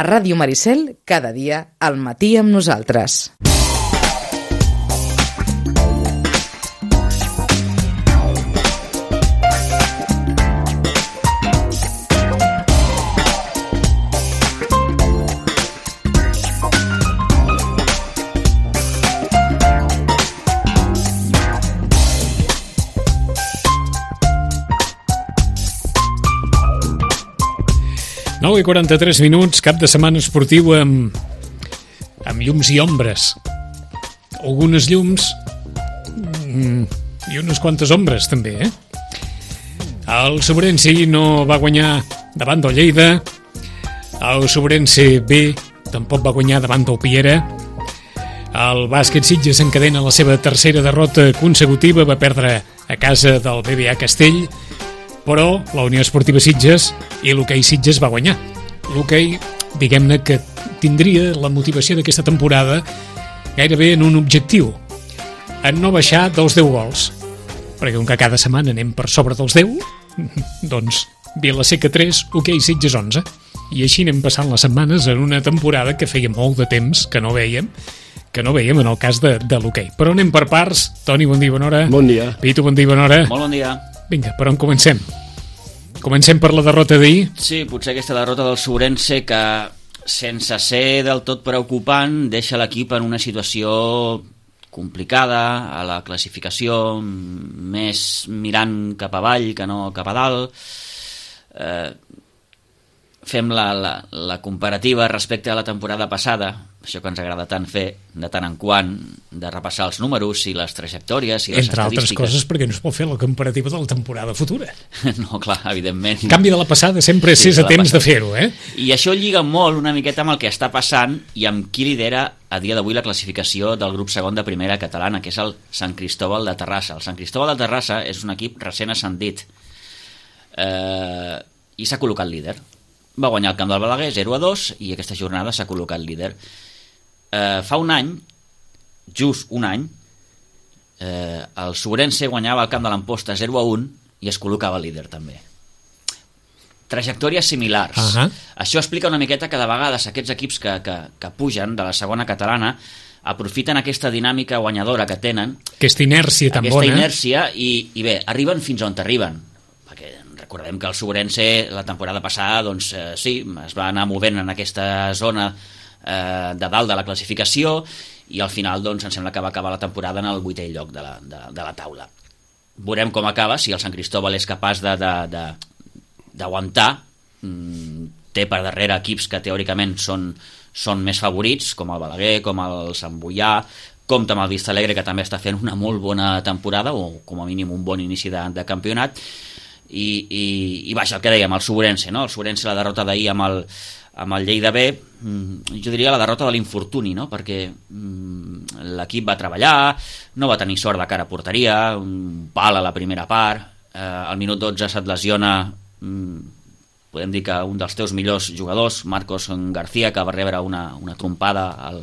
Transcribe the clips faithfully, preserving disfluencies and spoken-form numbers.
A Ràdio Maricel, cada dia, al matí amb nosaltres. nou i quaranta-tres minuts, cap de setmana esportiu amb, amb llums i ombres. Algunes llums mm, i unes quantes ombres, també, eh? El Sobrense no va guanyar davant del Lleida. El Sobrense B tampoc va guanyar davant del Piera. El Bàsquet Sitges encadena la seva tercera derrota consecutiva, va perdre a casa del B B A Castell, però la Unió Esportiva Sitges i l'hoquei Sitges va guanyar. L'hoquei, diguem-ne que tindria la motivació d'aquesta temporada gairebé en un objectiu, en no baixar dels deu gols, perquè com que cada setmana anem per sobre dels deu, doncs Vila-seca tres, hoquei Sitges onze, i així anem passant les setmanes en una temporada que feia molt de temps que no veiem, que no veiem en el cas de, de l'hoquei. Però anem per parts. Toni, bon dia, bona hora. Bon dia. Pitu, bon dia, bona hora. Molt bon dia. Vinga, per on comencem? Comencem per la derrota d'ahir? Sí, potser aquesta derrota del Sobrense que, sense ser del tot preocupant, deixa l'equip en una situació complicada a la classificació, més mirant cap avall que no cap a dalt. Eh, fem la, la, la comparativa respecte a la temporada passada, això que ens agrada tant fer, de tant en quant, de repassar els números i les trajectòries i les Entre estadístiques. altres coses, perquè no es pot fer la comparativa de la temporada futura. No, clar, evidentment. En canvi de la passada sempre Sí, és de a la temps passada. de fer-ho, eh? I això lliga molt una miqueta amb el que està passant i amb qui lidera a dia d'avui la classificació del grup segon de primera catalana, que és el Sant Cristóbal de Terrassa. El Sant Cristóbal de Terrassa és un equip recent ascendit eh, i s'ha col·locat líder. Va guanyar el camp del Balaguer zero a dos i aquesta jornada s'ha col·locat líder. Eh, fa un any, just un any, eh, el Sobrense guanyava el camp de l'Amposta zero a un i es col·locava líder també. Trajectòries similars. Uh-huh. Això explica una miqueta que de vegades aquests equips que, que, que pugen de la segona catalana aprofiten aquesta dinàmica guanyadora que tenen, Aquesta inèrcia tan aquesta bona. inèrcia, i, i bé, arriben fins on arriben. Perquè recordem que el Sobrense la temporada passada, doncs eh, sí, es va anar movent en aquesta zona eh, de dalt de la classificació i al final doncs em sembla que va acabar la temporada en el vuitè lloc de la, de, de la taula. Veurem com acaba, si el Sant Cristóbal és capaç de, de, de, d'aguantar. Mm, té per darrere equips que teòricament són, són més favorits, com el Balaguer, com el Sant Boià, compta amb el Vista Alegre, que també està fent una molt bona temporada, o com a mínim un bon inici de, de campionat. I, i, i vaja, el que dèiem, el Sobrense, no? El Sobrense, la derrota d'ahir amb el, amb el Lleida B, jo diria la derrota de l'infortuni, no? Perquè mm, l'equip va treballar, no va tenir sort de cara a porteria, un pal a la primera part, eh, al minut dotze se't lesiona, mm, podem dir que un dels teus millors jugadors, Marcos García, que va rebre una, una trompada al,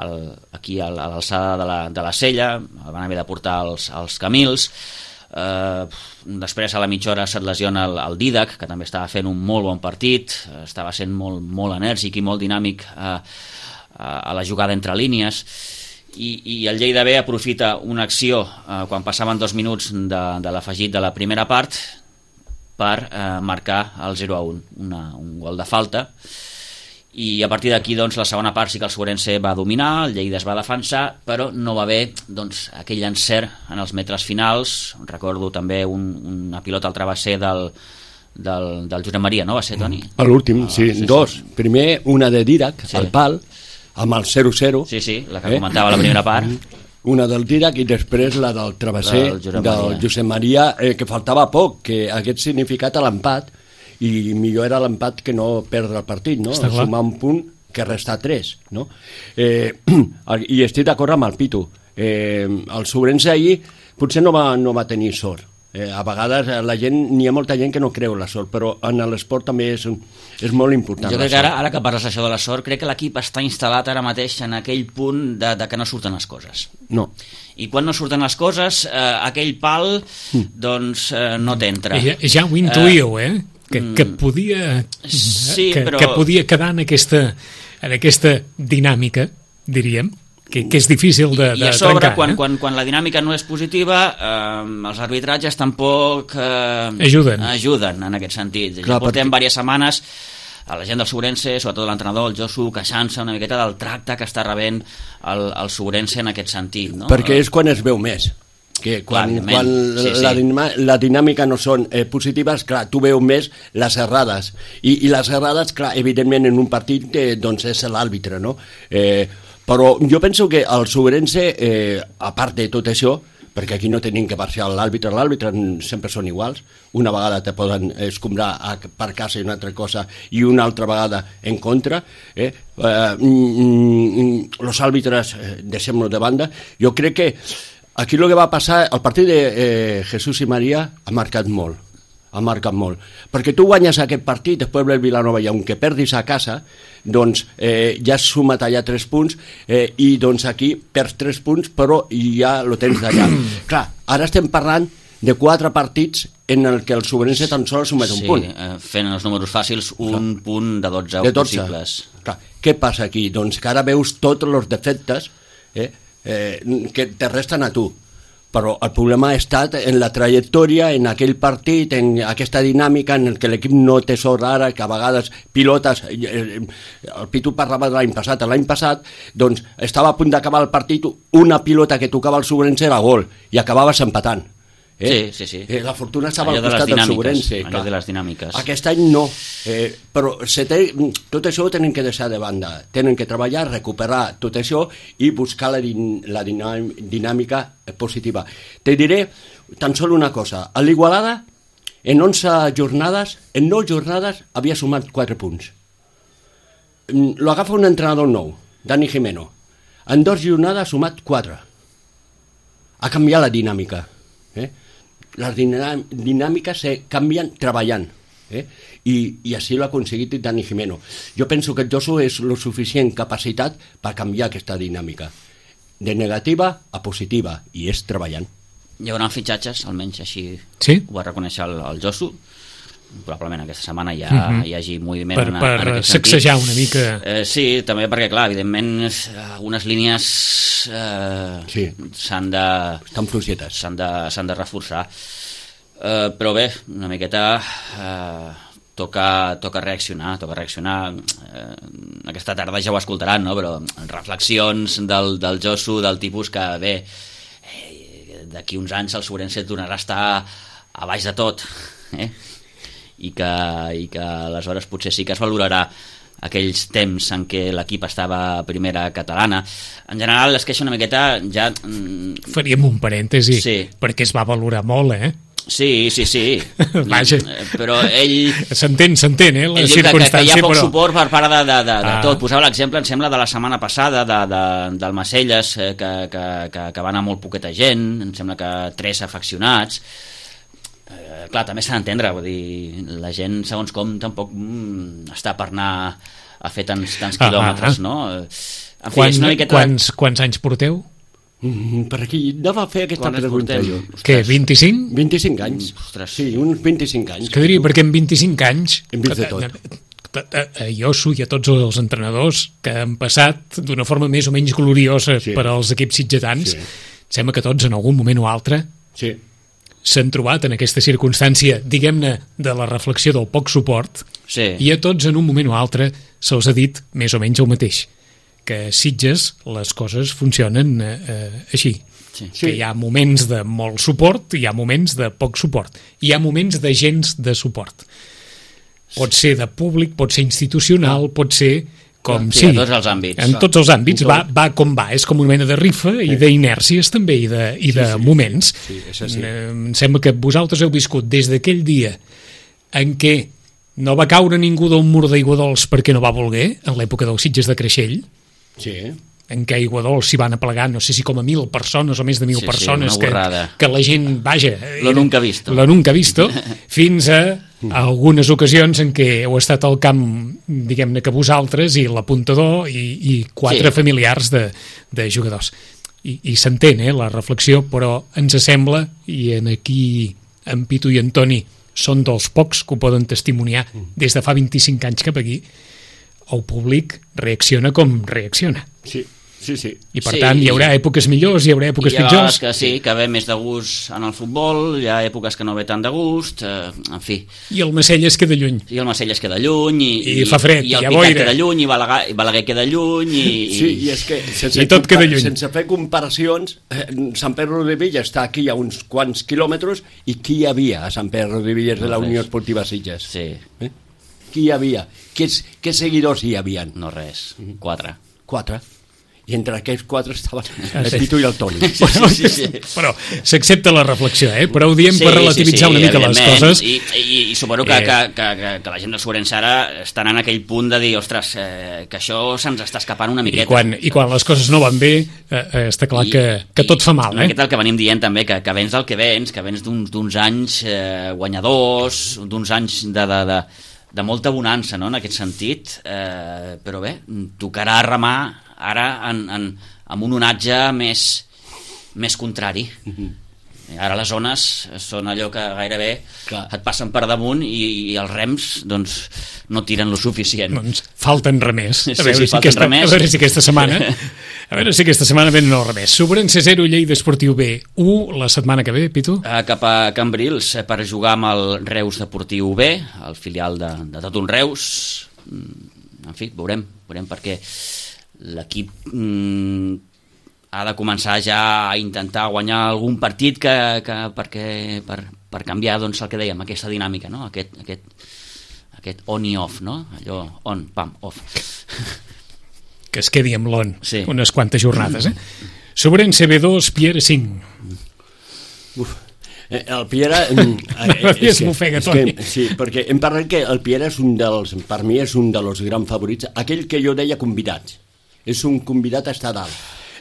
al, aquí a l'alçada de la, de la sella, el van haver de portar als, als Camils. Uh, després a la mitja hora se't lesiona el, el Didac, que també estava fent un molt bon partit, estava sent molt, molt enèrgic i molt dinàmic uh, uh, a la jugada entre línies, i, i el Lleida B aprofita una acció uh, quan passaven dos minuts de, de l'afegit de la primera part per uh, marcar el zero a un, una, un gol de falta. I a partir d'aquí, doncs, la segona part sí que el Sobrense va dominar, el Lleida es va defensar, però no va haver, doncs, aquell encert en els metres finals. Recordo també un, una pilota al travesser del, del, del Josep Maria, no va ser, Toni? A l'últim, Ah, sí, sí, sí. dos. Primer, una de Didac, Sí. al pal, amb el zero zero. Sí, sí, la que comentava la primera part. Una del Didac i després la del travesser Del Josep del Maria. Josep Maria, eh, que faltava poc, que hagués significat l'empat, i millor era l'empat que no perdre el partit, no? Està clar. Sumar un punt que resta tres, no? Eh, I estic d'acord amb el Pitu. Eh, el Sobrense ahir potser no va, no va tenir sort. Eh, a vegades la gent, n'hi ha molta gent que no creu la sort, però en l'esport també és, és molt important. Jo la crec que ara, sort. ara que parles això de la sort, crec que l'equip està instal·lat ara mateix en aquell punt de, de que no surten les coses. No. I quan no surten les coses, eh, aquell pal, doncs, eh, no t'entra. Ja, ja ho intuïu, eh? que, que podia Sí, que, però... que podia quedar en aquesta, en aquesta dinàmica, diríem, que, que és difícil de, de I a sobre, trencar. quan, eh? quan, quan la dinàmica no és positiva, eh, els arbitratges tampoc eh, Ajuden. ajuden en aquest sentit. Clar, Ja portem perquè- diverses setmanes a la gent del Sobrense, sobretot l'entrenador, el Josu, queixant-se una miqueta del tracte que està rebent el, el Sobrense en aquest sentit. No? Perquè és quan es veu més. Que quan, Clar, quan sí, sí. la, dinama, la dinàmica no són eh, positives, clar, tu veus més les errades. I, i les errades, clar, evidentment en un partit eh, doncs és l'àrbitre, no? Eh, però jo penso que el Sobrense, eh, a part de tot això, perquè aquí no tenim que parcial l'àrbitre, l'àrbitre sempre són iguals, una vegada te poden escombrar a, per casa i una altra cosa i una altra vegada en contra, eh? eh mm, los àrbitres, eh, deixem-lo de banda, jo crec que aquí el que va passar, el partit de eh, Jesús i Maria ha marcat molt, ha marcat molt, perquè tu guanyes aquest partit, després ve el Vilanova i aunque perdis a casa, doncs eh, ja has sumat allà tres punts eh, i doncs aquí perds tres punts però ja lo tens d'allà. Clar, ara estem parlant de quatre partits en el que el Sobrense tan sols sumet un Sí, punt. eh, fent els números fàcils, un Clar. punt de dotze, De dotze. possibles. Clar, què passa aquí? Doncs que ara veus tots els defectes eh, eh, que te resten a tu. Però el problema ha estat en la trajectòria, en aquell partit, en aquesta dinàmica en el que l'equip no té sort ara, que a vegades pilotes, el Pitu parlava de l'any passat, l'any passat doncs estava a punt d'acabar el partit, una pilota que tocava el Sobrense era gol, i acabaves empatant. Eh? Sí, sí, sí. Eh, la fortuna estava Allò al de les costat del dinàmiques, Sobrense. allò clar. de les dinàmiques. Aquest any no, eh, però se té, tot això ho tenen que deixar de banda, tenen que treballar, recuperar tot això i buscar la, din, la dinàm, dinàmica positiva. Te diré tan sol una cosa, a l'Igualada en onze jornades, en nou jornades havia sumat quatre punts. Lo agafa un entrenador nou, Dani Jimeno, en dues jornades ha sumat quatre. Ha canviat la dinàmica, eh? Les dinàmiques se canvien treballant, eh? I, i així l'ha aconseguit Dani Jimeno. Jo penso que el Josu és lo suficient capacitat per canviar aquesta dinàmica de negativa a positiva, i és treballant. Hi haurà fitxatges, almenys així Sí? ho va reconèixer el, el Josu. Probablement aquesta setmana ja Mhm. hi hagi moviment Per, en, en per aquest sentit. sacsejar una mica... Eh, sí, també perquè, clar, evidentment, algunes línies eh, Sí. s'han de, Estan fluixetes. s'han de, s'han de reforçar. Eh, però bé, una miqueta eh, toca, toca reaccionar, toca reaccionar. Eh, aquesta tarda ja ho escoltaran, no? Però reflexions del, del Josu, del tipus que, bé, eh, d'aquí uns anys el Sobrense tornarà a estar a baix de tot, eh? I que, i que aleshores potser sí que es valorarà aquells temps en què l'equip estava a primera catalana. En general es queixa una miqueta ja... mm, Faríem un parèntesi, Sí. perquè es va valorar molt, eh? Sí, sí, sí. Vaja. Eh, Però ell... S'entén, s'entén, eh, la Ell diu que, que, que circumstància, hi ha poc però... suport per part de, de, de, de Ah. tot. Posava l'exemple, em sembla, de la setmana passada de, de, del Macelles, eh, que, que, que, que va anar molt poqueta gent, em sembla que tres afeccionats. Eh, clar, també s'ha d'entendre, vull dir, la gent, segons com, tampoc mm, està per anar a fer tants, tants Ah, quilòmetres, ah. no? En fi, Quan, és una miqueta... quants, quants anys porteu? Mm, per aquí anava a fer aquesta Quan es pregunta portem? jo. Què, vint-i-cinc? vint-i-cinc anys. Ostres. Sí, uns vint-i-cinc anys. Que diria, perquè en vint-i-cinc anys... Hem vist de tot. A, a, a Iosu i a tots els entrenadors que han passat d'una forma més o menys gloriosa Sí. per als equips sitgetans, Sí. sembla que tots en algun moment o altre Sí. s'han trobat en aquesta circumstància, diguem-ne, de la reflexió del poc suport, Sí. i a tots en un moment o altre se'ls ha dit més o menys el mateix, que a Sitges les coses funcionen eh, eh, així. Sí. Que hi ha moments de molt suport i hi ha moments de poc suport. Hi ha moments de gens de suport. Pot ser de públic, pot ser institucional, pot ser com Sí, sigui. a tots els àmbits. En tots els àmbits En va, tot. va com va. És com una mena de rifa i d'inèrcies també i de, i de sí. moments. Sí, és així. Eh, Em sembla que vosaltres heu viscut des d'aquell dia en què no va caure ningú d'un mur d'aigua dolç perquè no va voler, en l'època dels Sitges de Creixell, Sí. en què a Aiguadols s'hi van aplegar, no sé si com a mil persones o més de mil Sí, sí, persones, una que, borrada. que la gent, vaja... Lo nunca visto. Lo nunca visto, fins a, a algunes ocasions en què heu estat al camp, diguem-ne que vosaltres, i l'apuntador, i, i quatre Sí. familiars de, de jugadors. I, i s'entén, eh, la reflexió, però ens sembla, i en aquí en Pitu i en Toni són dels pocs que ho poden testimoniar des de fa vint-i-cinc anys cap aquí, el públic reacciona com reacciona. Sí, sí, sí. I per Sí, tant hi haurà èpoques millors, hi haurà èpoques hi ha pitjors. vegades que sí, que ve més de gust en el futbol, hi ha èpoques que no ve tant de gust, eh, en fi. I el Macell es queda lluny. I el Macell es queda lluny, i, I fa fred, i el hi ha Picat boira. queda lluny, i Balaguer, i Balaguer queda lluny, i... Sí, i és que sense, I tot queda lluny. sense fer comparacions, eh, Sant Pere Rodevilla està aquí a uns quants quilòmetres, i qui hi havia a Sant Pere Rodevilla de la No, Unió res. Esportiva Sitges? Sí, Eh? Qui hi havia? Quins, què seguidors hi havien? no res, quatre. Quatre. I entre aquests quatre estaven Ah, el sí. Pitu i el Toni. Bueno, sí, sí. Però s'accepta la reflexió, eh? Però ho diem Sí, per relativitzar sí, sí, una mica les evidentment. coses. I, i, i suposo que, Eh. que, que, que, que la gent del Sobrense ara estan en aquell punt de dir, ostres, eh, que això se'ns està escapant una I miqueta. quan, I quan les coses no van bé, eh, eh, està clar I- que, que tot fa mal, Una eh? miqueta el que venim dient també, que, que vens del que vens, que vens d'uns d'uns anys eh, guanyadors, d'uns anys de, de, de, de molta bonança, no?, en aquest sentit, eh, però bé, tocarà remar ara en, en, amb un onatge més, més contrari. Ara les zones són allò que gairebé Clar. et passen per damunt i, i els rems doncs, no tiren lo suficient. Doncs falten remers. Sí, A veure, sí, si, falten aquesta, remers. a veure si aquesta setmana a veure si aquesta setmana venen els remers. Sobrense zero, Lleida Esportiu B u la setmana que ve, Pitu? Eh, cap a Cambrils eh, per jugar amb el Reus Deportiu B, el filial de, de tot un Reus. Mm, En fi, veurem, veurem perquè l'equip mm, ha de començar ja a intentar guanyar algun partit que, que perquè, per, per canviar doncs, el que dèiem, aquesta dinàmica, no? aquest, aquest, aquest on i off, no? Allò on, pam, off. Que es quedi amb l'on Sí. unes quantes jornades, eh? Sobrense B dos, Piera cinc. Uf. Eh, El Piera... mm, eh, No, és es m'ofega, és Toni. que- Sí, perquè hem parlat que el Piera és un dels... Per mi és un dels grans favorits. Aquell que jo deia convidats. És un convidat a estar dalt.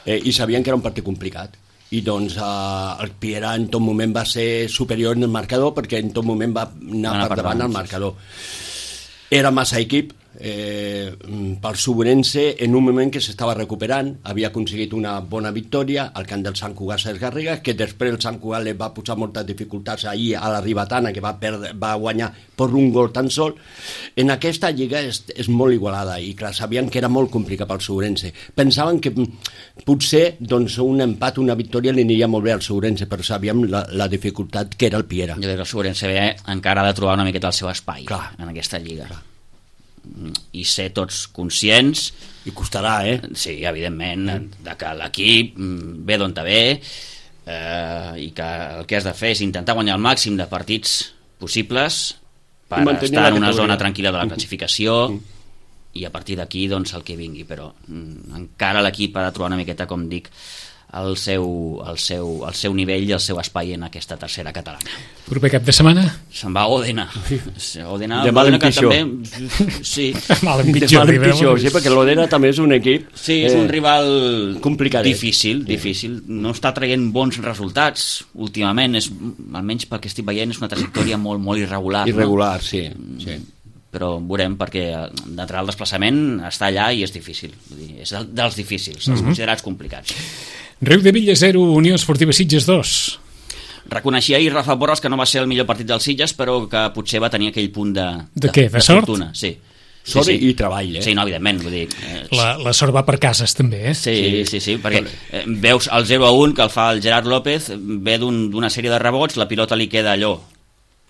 Eh, I sabien que era un partit complicat. I doncs eh, el Piera en tot moment va ser superior en el marcador perquè en tot moment va anar Va anar per per davant davant, al sí, marcador. Era massa equip eh, pel Sobrense en un moment que s'estava recuperant, havia aconseguit una bona victòria al camp del Sant Cugat Ses Garrigues, que després el Sant Cugat li va posar moltes dificultats ahir a la Ribatana, que va, perdre, va guanyar per un gol tan sol. En aquesta lliga és, és molt igualada i clar, sabien que era molt complicat pel Sobrense. Pensaven que mm, potser doncs, un empat, una victòria li aniria molt bé al Sobrense, però sabíem la, la dificultat que era el Piera. Jo crec que el Sobrense B encara ha de trobar una miqueta el seu espai Clar. en aquesta lliga. Clar. I ser tots conscients, I costarà, eh? sí, evidentment, de que l'equip mm, ve d'on te ve eh, i que el que has de fer és intentar guanyar el màxim de partits possibles per Mantenir estar la en una categoria. zona tranquil·la de la classificació i a partir d'aquí doncs el que vingui, però mm, encara l'equip ha de trobar una miqueta, com dic, el seu, el, seu, el seu nivell i el seu espai en aquesta tercera catalana. Proper cap de setmana? Se'n va a Òdena. Òdena, De mal en Òdena que pitjor. també, sí, Mal en De pitjor. mal en arribem. pitjor, sí, perquè l'Odena també és un equip... sí, és un rival complicadet. difícil, difícil. No està traient bons resultats últimament, és, almenys pel que estic veient, és una trajectòria molt, molt irregular. Irregular, sí, sí. No? Però veurem, perquè d'entrar al desplaçament està allà i és difícil. Vull dir, és del- dels difícils, dels considerats complicats. Riu de Villa zero, Unió Esportiva Sitges dos. Reconeixia ahir Rafa Borras que no va ser el millor partit dels Sitges, però que potser va tenir aquell punt de... De què? De sort? fortuna, sí. Sort sí, i treball, eh? Sí, no, evidentment, vull dir... Eh, La, la sort va per cases, també, eh? Sí, sí, sí, perquè eh, veus el zero a un que el fa el Gerard López, ve d'un- d'una sèrie de rebots, la pilota li queda allò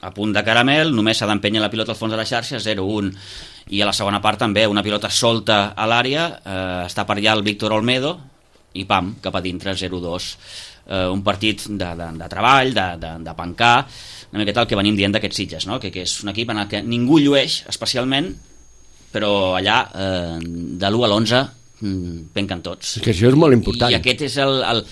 a punt de caramel, només s'ha d'empènyer la pilota al fons de la xarxa, zero a un. I a la segona part també, una pilota solta a l'àrea, eh, està per allà el Víctor Olmedo, i pam, cap a dintre, zero a dos. Eh, un partit de, de, de treball, de, de, de pencar, una miqueta el que venim dient d'aquests Sitges, no? que, que és un equip en el que ningú llueix especialment, però allà, eh, de l'u a l'onze, mm, penquen tots. És que això és molt important. I aquest és el, el,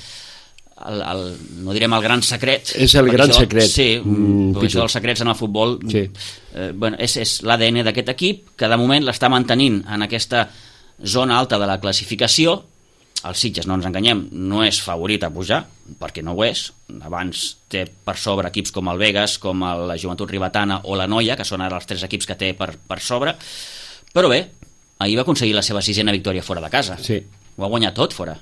el, el no direm el gran secret. És el perquè gran això, secret. Sí, Mm, mm, Pitu. això dels secrets en el futbol Sí. eh, bueno, és, és l'A D N d'aquest equip, que de moment l'està mantenint en aquesta zona alta de la classificació. El Sitges, no ens enganyem, no és favorit a pujar, perquè no ho és. Abans té per sobre equips com el Vegas, com el, la Joventut Ribatana o la Noia, que són ara els tres equips que té per, per sobre. Però bé, ahir va aconseguir la seva sisena victòria fora de casa. Sí. Ho ha guanyat tot fora.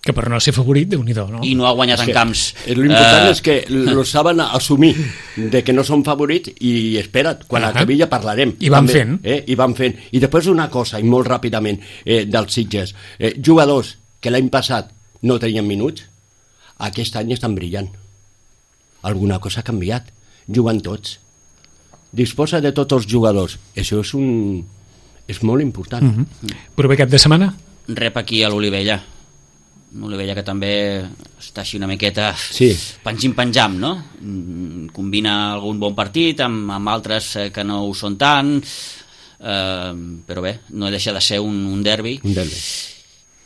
Que per no ser favorit, Déu-n'hi-do, no? I no ha guanyat És en que, camps. eh, L'important eh, és que lo saben assumir de que no són favorits i espera't, quan Ah. acabi ja parlarem. I van també, fent. Eh? I van fent. I després una cosa, i molt ràpidament, eh, dels Sitges. Eh, jugadors que l'any passat no tenien minuts, aquest any estan brillant. Alguna cosa ha canviat. Juguen tots. Disposa de tots els jugadors. Això és un... és molt important. Mm -hmm. Proper cap de setmana? Rep aquí a l'Olivella. L'Olivella que també està així una miqueta Sí. penjim-penjam, no? Mm, combina algun bon partit amb, amb altres eh, que no ho són tant, eh, però bé, no deixa de ser un, un derbi. Un derbi.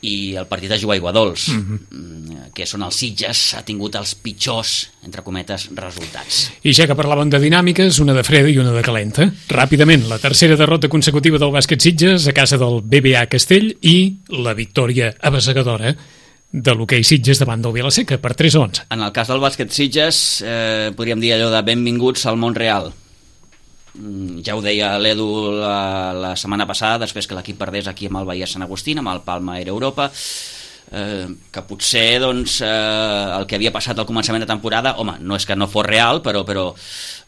I el partit es juga a Aiguadols, mm-hmm. que són els Sitges, ha tingut els pitjors, entre cometes, resultats. I ja que parlaven de dinàmiques, una de freda i una de calenta. Ràpidament, la tercera derrota consecutiva del bàsquet Sitges a casa del B B A Castell i la victòria abassegadora de l'hoquei Sitges davant del Vilaseca per tres a onze. En el cas del bàsquet Sitges, eh, podríem dir allò de benvinguts al món real. Mm, ja ho deia l'Edu la, la setmana passada, després que l'equip perdés aquí amb el Bahia Sant Agustín, amb el Palma Air Europa, eh, que potser doncs, eh, el que havia passat al començament de temporada, home, no és que no fos real, però, però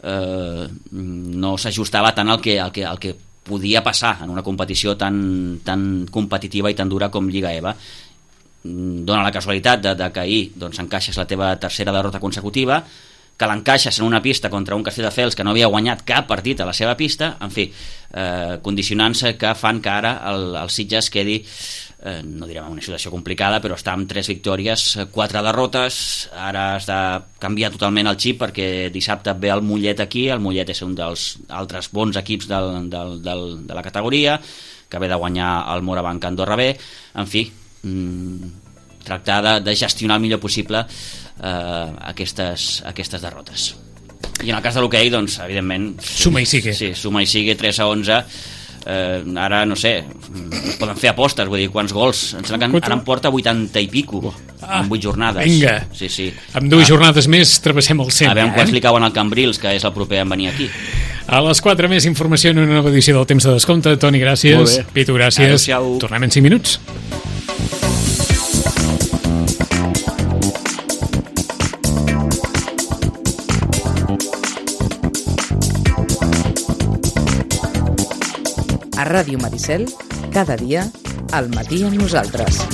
eh, no s'ajustava tant al que, al que, al que podia passar en una competició tan, tan competitiva i tan dura com Lliga E V A. Dóna la casualitat de, de que ahir doncs, encaixes la teva tercera derrota consecutiva, que l'encaixes en una pista contra un Castelldefels que no havia guanyat cap partit a la seva pista, en fi, eh, condicionants que fan que ara el, el Sitges quedi, eh, no direm en una situació complicada, però està amb tres victòries, quatre derrotes. Ara has de canviar totalment el xip perquè dissabte ve el Mollet aquí, el Mollet és un dels altres bons equips del, del, del, de la categoria, que ve de guanyar el Morabanc Andorra B, en fi, mm, tractar de, de gestionar el millor possible eh, aquestes, aquestes derrotes. I en el cas de l'hoquei, doncs, evidentment... Suma i sigue. Sí, suma i sigue, tres a onze. Eh, ara, no sé, es poden fer apostes, vull dir, quants gols? Em sembla que ara en porta vuitanta i pico, Ah, en vuit jornades. vinga. Sí, sí. Amb dues Ah, jornades més travessem el cent. a veure eh? quants li cauen al Cambrils, que és el proper en venir aquí. A les quatre més informació en una nova edició del Temps de Descompte. Toni, gràcies. Molt bé. Pitu, gràcies. Adéu-siau. Tornem en cinc minuts. A Ràdio Maricel, cada dia, al matí amb nosaltres.